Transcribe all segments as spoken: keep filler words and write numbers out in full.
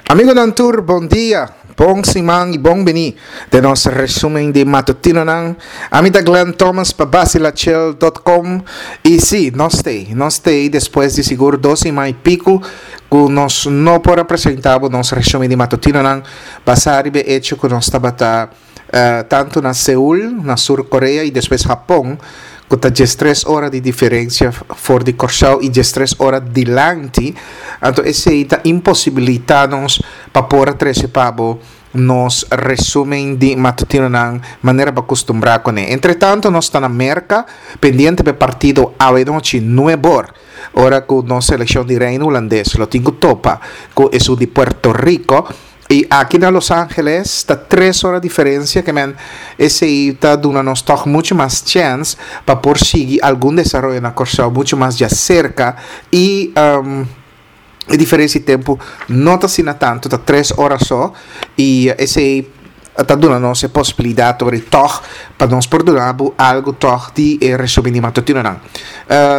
Amigonan tur, bon dia, bon siman i bon bini den nos resumen di matutinonan. Ami ta Glenn Thomas pa Basilachel dot com i si, nos t'ei, nos t'ei despues di sigur dos siman i piku ku nos no por a presenta bo nos resumen di matutinonan basá riba e echo ku nos tabata tantu na Seul, na Sur Korea i despues Hapon, ku ta diestres ora di diferensia for di Kòrsou i diestres ora dilanti, anto esei ta imposibilitá nos pa por a trese pa bo nos resumen di matutinonan manera bo a kustumbrá kuné. Entretantu nos ta na Merka pendiente pa e partido awenochi nuebor, ora ku nos selekshon di Reino Hulandes lo tin ku topa ku esun di Puerto Rico. I aki na Los Angeles ta tres ora diferencia ke men esei ta duna nos tog mucho mas chance pa por sigui algun desaroyo na Kòrsou mucho mas djaserka i e diferencia di tempo no ta asina tanto, ta tres ora so i esei ta duna nos e posibilidad ora tog pa nos por duna bo algo tog di e resumen di matutinonan.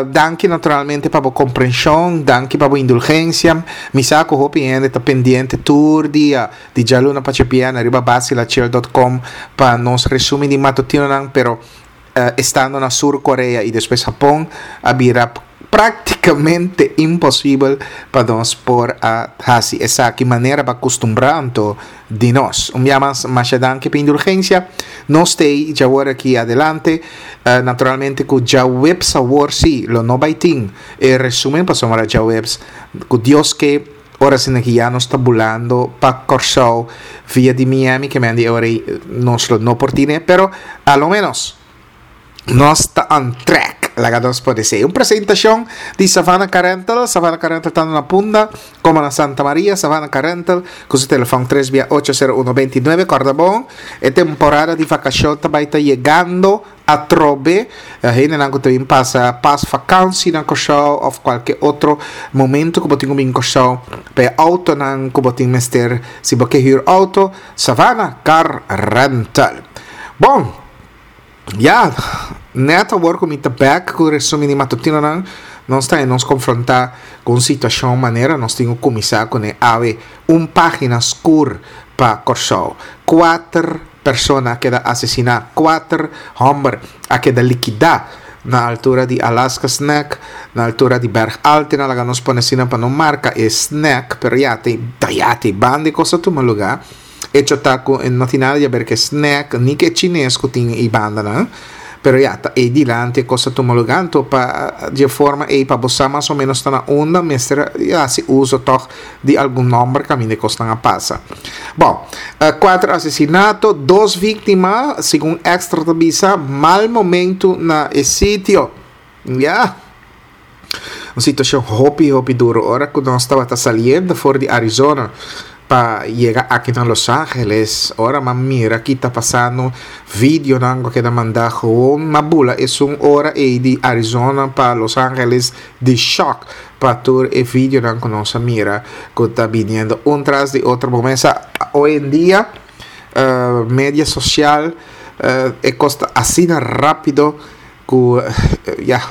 Danki naturalmente pa bo comprension, danki pa bo indulgencia. Mi sa cu hopi hende ta pendiente tur dia di djaluna pa djabièrnè riba basilachel dot com pa nos resumen di matutinonan, pero estando na Sur Korea y despues Japon a bira prácticamente imposibel pa nos por a haci esaki manera pa acostumbrá anto di nos. Un bia mas, masha danki pa indulgencia. Nos t'ei djawor aki adelante. Naturalmente cu djaweps awor si lo no bay tin e resumen pasobra djaweps cu Dios ke ora asina ki ya nos ta bulando pa Kòrsou via di Miami ke men di e ora ei nos lo no por tine pero a lo menos nos ta on track, laga nos por esei. Un presentacion di Savannah Car Rental. Savannah Car Rental tanto na Punda como na Santa Maria. Savannah Car Rental cu su telefon tres bia ocho sero uno beinti nuebe. Corda bon, e temporada di vacacion ta bay ta yegando atrobe. Hendenan cu ta bin pasa pas vakantie na Curaçao of cualke otro momento cu bo tin cu bin Curaçao pa e autonan cu bo tin mester, si bo ke huur auto, Savannah Car Rental. Bon. Ya, net awor ku mi ta bek ku resumen di matutinonan, nos ta e nos konfrontá ku un situashon manera nos tin ku kuminsá kuné awe, un página skur pa Kòrsou. Kuater persona a keda asesiná, kuater hòmber a keda likidá na altura di Alaska Snack, na altura di Berg Altena, laga nos pone asina pa no marka e snack, pero ya te, ya te banda e kos a tuma lugá. Hecho ta cu no tin nada di haber cu e snack ni cu e chines cu tin ey bandanan, pero ya, ta ey dilanti e cos ta tuma lugar, anto pa di e forma ey pa bo sa mas o menos ta na unda mester haci uso toch di algun nomber caminda e cosnan a pasa. Bon, cuater asesinato, dos victima, segun Extra ta bisa, mal momento na e sitio. Ya. Un situacion hopi, hopi duro. Ora cu nos tabata saliendo for di Arizona pa yega aki na Los Angeles, ora m'a mira ki ta pasando, videonan cu a keda manda, gewoon m'a bula esun ora ey di Arizona pa Los Angeles di shock pa tur e videonan cu nos a mira cu ta biniendo un tras di otro. Bo mesa hoy en dia, eh, media social, eh, e cos ta asina rapido cu, eh, ya,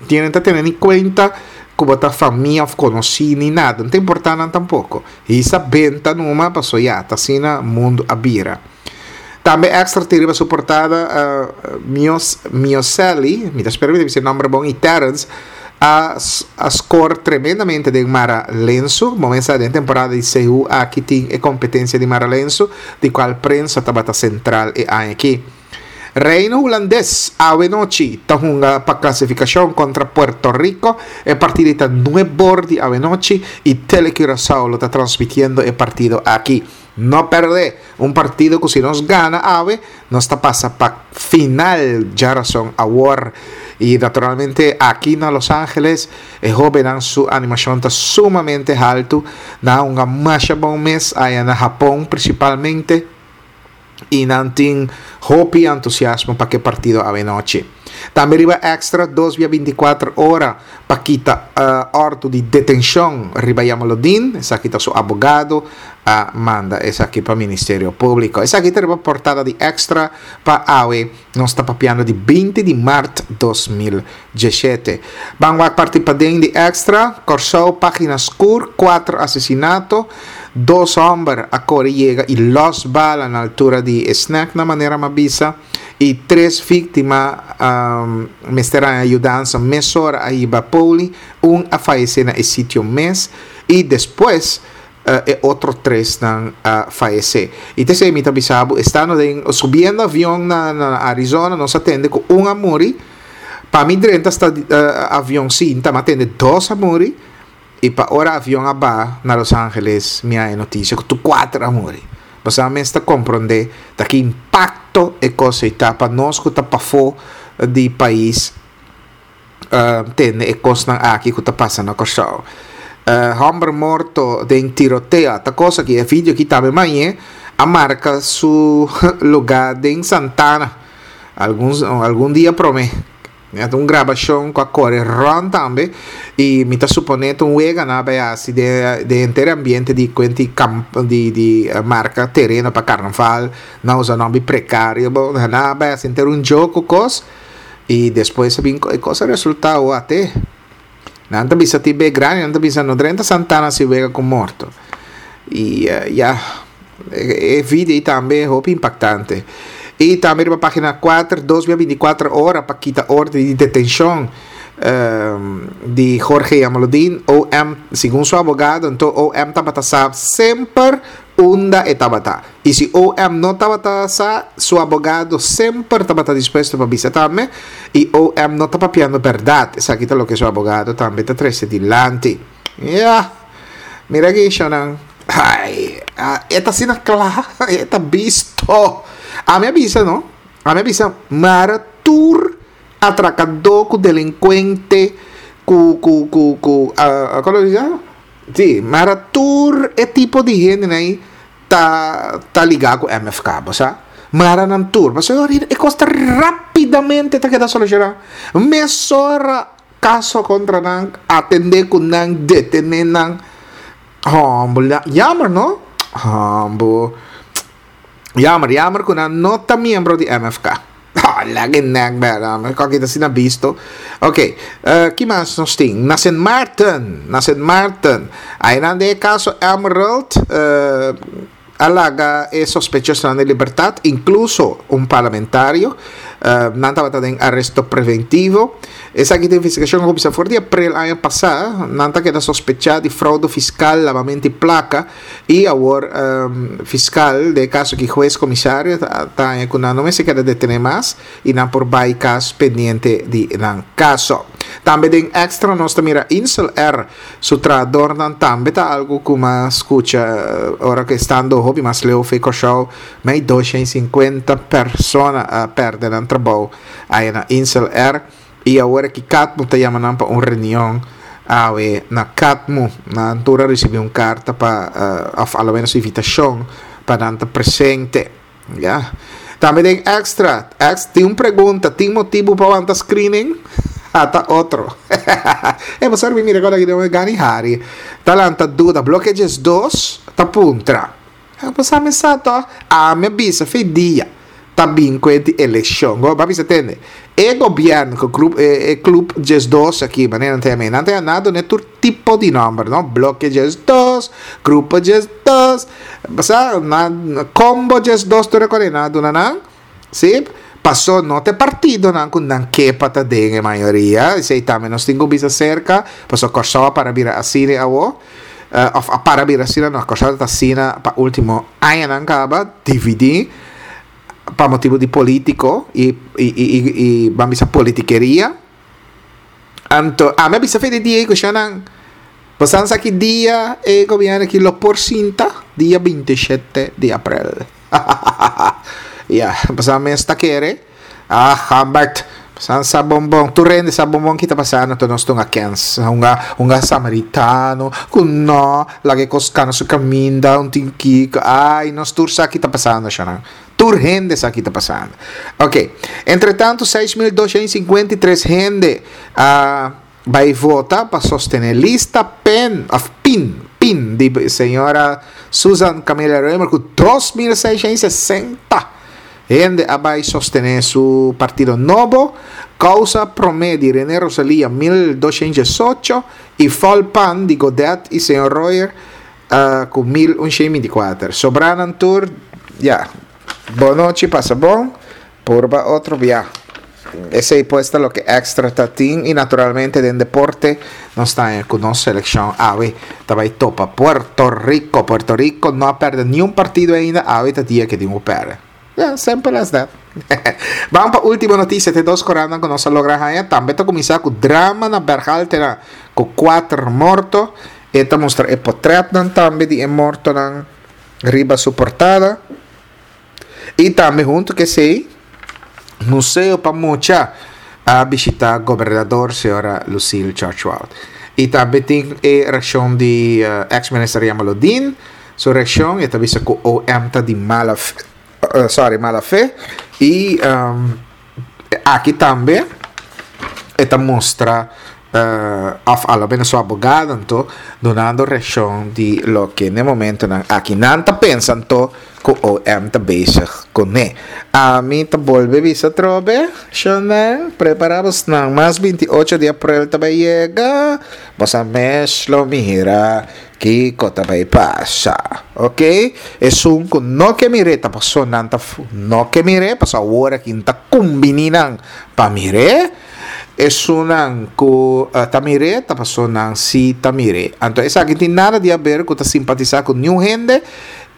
tienen ta tene ni cuenta cu bo ta famia of conoci ni nada. No ta importa nan tampoco. Hisa benta numa paso ya, ta asina mundo a bira. Tambe Extra tin riba su portada, eh, Mios, Mioseli, mi ta spera mi ta bisa e nomber bon, y Terence a, a score tremendamente den Mara Lensu. Momento den temporada di C U aki tin e competencia di Mara Lensu, di cual prensa tabata central e aña aki. Reino Hulandes awe nochi ta hunga pa clasificacion contra Puerto Rico. E partido ta nueve di awe nochi y Tele Curaçao lo ta transmitiendo e partido aki. No perde un partido que si nos gana awe, nos ta pasa pa final djarason awor. Y naturalmente aki na Los Angeles, e hobennan su animacion ta sumamente alto. Na un masha bon mes allá na Japón principalmente. Y nan tin hopi entusiasmo pa ke partido awe nochi. Tambe riba Extra, dos via binticuater ora pa kita uh, ordo di detencion riba Jamaloodin. Esaki ta su abogado a manda esaki pa Ministerio Publico. Esaki ta riba portada di Extra pa awe, nos ta papiando di binti di maart dos mil diesshete. Ban wak parti paden di Extra. Corsou, pagina skur, kuater asesinato, dos homber a core yega y los bala na altura di snack na manera m'a bisa y tres victima um, mester a yudansa mesora, a hiba poli, un a fayece na e sitio mes y despues uh, e otro tres nan a fayece. Y te mi ta bisa bo, estando den, subiendo avion na, na Arizona, nos a tende cu un a muri. Pa mi drenta sta uh, avion sinta, m'a tende dos a muri. Y pa ora avion a baha na Los Angeles, mi a haya noticia cu tur cuater a muri. Bo mes ta comprende ta ki impacto e cos ta pa nos cu ta pafo di pais uh, tende e cosnan aki cu ta pasa na Corsou. Uh, homber morto den tiroteo, ta cos aki, e video aki tambe mañana a marca su lugar den Santana. Algun, algun dia prome. Un grabacion cu a core rond tambe y mi ta supone un wega na bay asina di di henter ambiente di cuenti camp di di uh, marca tereno pa carnaval, nan usa nomber precario, bon, na bay asina ter un jogo cos y despues bin e cos a resulta ate nan ta bisa ti be grandi, nan ta bisa no drenta Santana si wega cu morto y uh, ya e, e video tambe hopi impactante. Y tambe riba pagina cuater, dos binticuater ora pa kita orden di detencion um, di Jorge Jamaloodin. O M, segun su abogado, anto O M tabata sa semper unda e tabata. Y si O M no tabata sa, su abogado semper tabata dispuesto pa bisa tambe. Y O M no ta papiando berdad. Esaki ta loke su abogado tambe ta trece dilanti. Ya. Mira aki, shonan. Ai, e ta asina cla, e ta bisto. Ami a bisa, no? Ami a bisa, mara tur atracador cu delincuente cu cu cu cu uh, con ta bisa? Si, mara tur e tipo di hende ey ta ta liga cu M F K, sa? Mara nan tur. Mas e cos ta rapidamente ta keda soluciona. Mesora caso contra nan, atende cu nan, detene nan. Hombo, jammer, no? Hombo. Jammer, jammer cu nan no ta miembro di M F K. Ah, lagi nek bera. Kijk, dat is na bisto. Oké, okay. uh, ki mas nos tin? Na Saint Martin, na Saint Martin. Ey den caso Emerald, uh, a laga e sospechoso na libertad, incluso un parlamentario, uh, nan tabata den aresto preventivo. Esaki ta investigacion a cuminsa for di april aña pasa, nan ta keda sospecha di fraude fiscal, labamento di placa y awor um, fiscal den caso cu hues comisario ta cu nan no mester keda detene mas y nan por bay cas pendiente di nan caso. Tambe den Extra nos mira Insel Air su trahadornan tambe, ta algo cu m'a scucha ora cu estando hopi mas leu for di Corsou, mei dos shen cincuenta persona a perde nan trabou ey na Insel Air y awor cu CATMU ta yama nan pa un reunion awe na CATMU. Nan tur a ricibi un carta pa uh, of al menos invitacion pa nan ta presente. Ya. Tambe den Extra, ex, tin un pregunta: tin motibo pa wanta screening? Ata otro. E bo sabi, mira, awor aki den gani hari. Talanta duda, bloke dos, ta puntra. Bo sabi sa to, ami a bisa for di dia ta bin cu e eleccion. Bo bisa tende. E gobierno, cu club, e, e club diesdos aki, manera nan tin, nan tin nada, ne, tur tipo di nomber, no? Bloke diesdos, grupo diesdos, basta, na, combo diesdos, tur e nada, nan, si? Paso no ta partidonan cu nan ke pa ta den mayoria, esey tambe nos tin cu bisa cerca, paso Corsou a para bira asina awo, uh, of a para bira asina, no, Corsou ta asina pa ultimo añanan caba, dividi, pa motibo di politico y, y, y, y, y ban bisa politikeria. Anto, ami a bisa for di dia cu nan, bo sa ki dia e gobierno aki lo por sinta? Dia bintisshete di april. Ya, basta mes ta kere. Ah, Humbert. San sa bon bon, tur hende sa bon bon ki ta pasando, anto nos ta hunga kens, hunga hunga samaritano, ku no, laga kos kana su kaminda, un tin kiko, ai, nos tur sa ki ta pasando, shana. Tur hende sa ki ta pasando. Ok, entretanto, seis mil dos shen sinkuenta i tres hende a bai vota pa sostené lista PEN, òf PIN, PIN, di señora Susan Camilla Römer, ku dos mil seis shen sesenta hende a bai sostené su partido nobo. Kousa Promé di René Rosalia, mil dos shen diesocho, i Folpan di Godet i señor Royer uh, ku mil un shen bintikuater. Sobrá nan tur, ya, bon nochi, pasa bon, purba otro bia. Esei pues ta loke Extra ta tin i naturalmente den deporte nos ta ku nos selekshon awe ta bai topa Puerto Rico. Puerto Rico no a pèrdè ningun partido ainda, awe ta dia ku tin ku pèrdè. Yeah, simple as that. Ban pa último notisia, te dos korant ku nos a logra haña. Tambe ta kuminsá ku drama na Berhaltera ku kuater morto. E ta mustra e portrètnan tambe di e mortonan riba su portada. I tambe huntu ku esei, Museo pa Mucha a bishitá gobernador señora Lucille George. I tambe tin e reakshon di uh, ex-minister Jamaloodin. Su reakshon e ta bisa ku O M ta di mala fe, uh, sorry, mala fe. I um, aki tambe e ta mustra uh, òf a lo menos su abogado anto dunando reakshon di loke na momentonan aki nan ta pensa anto ku O M ta bezig kuné. Ami ta bolbe bisa trobe, shonel, prepará nan mas binti ocho di aprel ta bai yega, boso mes lo mira kiko ta bai pasa. Ok? Esun ku no ke mir'é ta paso nan ta no ke mir'é, paso awor aki ta kumbiní nan pa mir'é. Esunnan ku uh, ta mir'é, ta paso nan si ta mir'é. Anto, esaki tin nada di aber ku ta simpatisá ku ningun hende,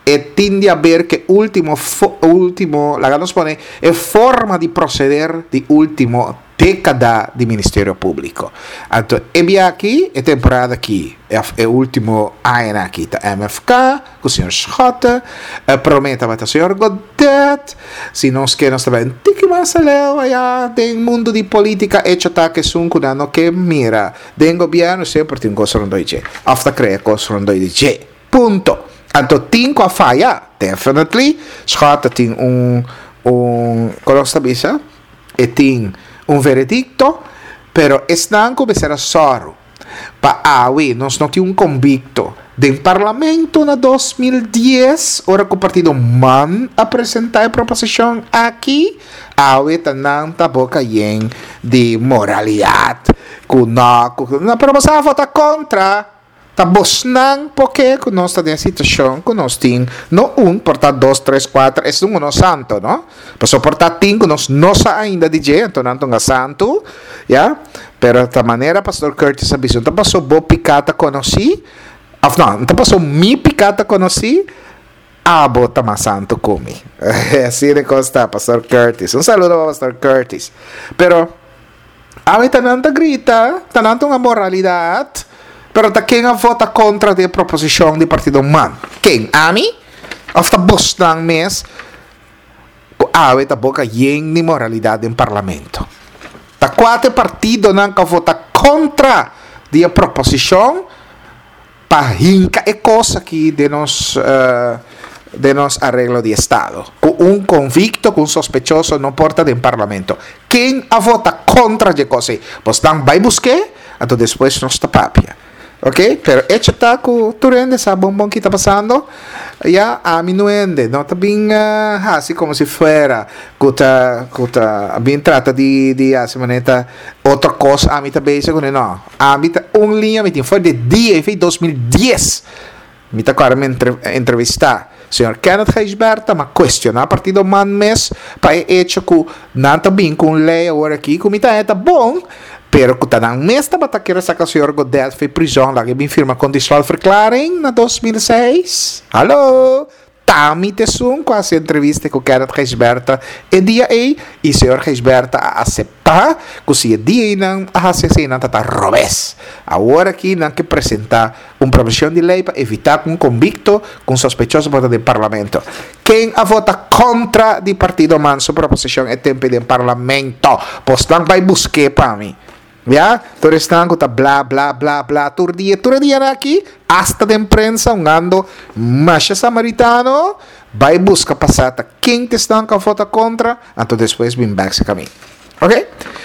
e tin di aber ku último, último, laga nos pone, e forma di proseder di último dékada di Ministerio Públiko. Anto, e aki, e temporada aki, e último aña aki, ta M F K, ku señor Schotte, e promé ta señor Godet, si nos ke nos tambe tiki mas aleu aya den mundu di polítika, hecho ta ku esun ku no ke mira den gobièrnu semper tin kos rondó dje, òf ta krea kos rondó dje. Punto. Anto tin ku a faya, definitely. Schotte tin un un kon ta bisa? E tin un veredikto, pero esnan ku mester a sòru pa awe nos no tin un konvikto den parlamento na dos mil dies, ora ku partido MAN a presentá e proposishon aki, awe ta nan ta boka yen di moralidat ku no, ku no, pero boso a vota kontra. Ta bosnan porque ku nos ta den situashon ku nos tin no un, por ta dos, tres, kuater, esun no santo, no? Paso por ta tin ku nos no sa ainda di dje, anto nan ta santo, ya? Pero ta manera Pastor Curtis a bisa, ta paso bo piká ta konosí, òf no, ta paso mi piká ta konosí, abo ta mas santo ku mi. Asina e kos ta, Pastor Curtis. Un saludo pa Pastor Curtis. Pero awe ta nan ta grita, ta nan ta un moralidat, pero ta ken a vota kontra di proposishon di partido MAN? Ken? Ami? Òf ta bosnan mes? Ku awe ta boka yen di moralidat den parlamento. Ta kuater partidonan ku a vota kontra di proposishon pa hinka e kos aki den nos uh, den nos areglo di estado. Ku un konvikto, ku un sospechoso no por ta den parlamento. Ken a vota kontra di e kos? Bosnan bai busk'é, anto despues nos ta papia. Ok? Pero hecho ta ku tur hende sa bon bon ki ta pasando. Ya, ami no hende, no ta bin uh, hasi komo si fuera ku ta ku ta bin trata di di hasi manera otro kos ami ta bezig ku no. Ami ta un liña mi tin for di dia for dos mil dies. Mi ta kòrda mi entre, entrevistá señor Kenneth Gijsbertha, m'a kuestioná partido MAN mes pa e hecho ku nan ta bin ku un lei awor aki ku mi ta ta bon, pero ku ta nan mes tabata kere saka señor Godet for di prison, laga bin firma conditionalverklaring na dos mil seis. Hallo? T'ami t'esun ku a hasi entrevista ku Kenneth Gijsbertha e dia ei i señor Gijsbertha a aseptá ku si e dia ei nan a hasi esei nan ta ta robes. Awor aki nan ke presentá un proposishon di lei pa evitá ku un konvikto ku un sospechoso por ta den parlamento. Ken a vota kontra di partido man su proposishon e tempu ei den parlamento? Bos nan bai busk'é pa mi. Ya, tur esnan ku ta bla bla bla bla tur dia, tur e dianan aki, asta den prensa un ando masha samaritano, bai buska pa sa ta ken ta esnan ku a vota kontra, anto despues bin bèk serka mi. Ok?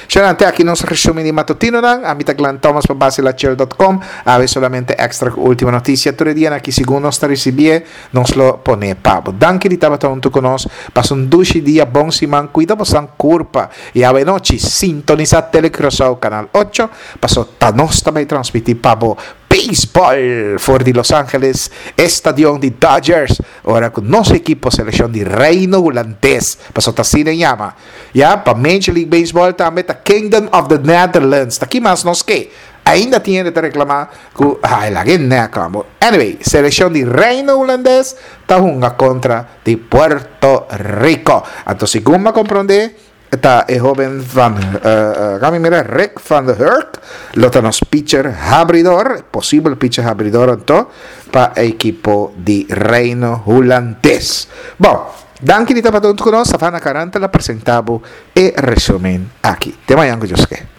Shonnan, te aki nos resumen di matutinonan. Ami ta Glenn Thomas pa Basilachel dot com. Awe solamente extra ku último notisia. Tur e dianan aki segun nos ta risibié, nos lo pone pa bo. Danki di tabata huntu ku nos. Pasa un dushi dia, bon siman, kuida bosan kurpa. I awe nochi sintonisa Tele Curaçao Canal ocho, paso ta nos ta bay transmiti pa bo baseball for di Los Angeles, e stadion di Dodgers, ora cu nos ekipo seleccion di Reino Hulandes, paso ta asina e yama, ya, pa Major League Baseball tambe ta Kingdom of the Netherlands, ta ki mas nos ke? Ainda tin hende ta reclama cu ay laga e nek amo. Anyway, seleccion di Reino Hulandes ta hunga contra di Puerto Rico. Anto segun mi a compronde ta e hoben van uh, mira Rick van de Hurk lo ta nos pitcher habridor, posibel pitcher habridor anto pa ekipo di Reino Hulandes. Bon, danki di tabata hunto cu nos. Savannah Caranta la presenta bo e resumen aki. Te mañan cu Dios ke.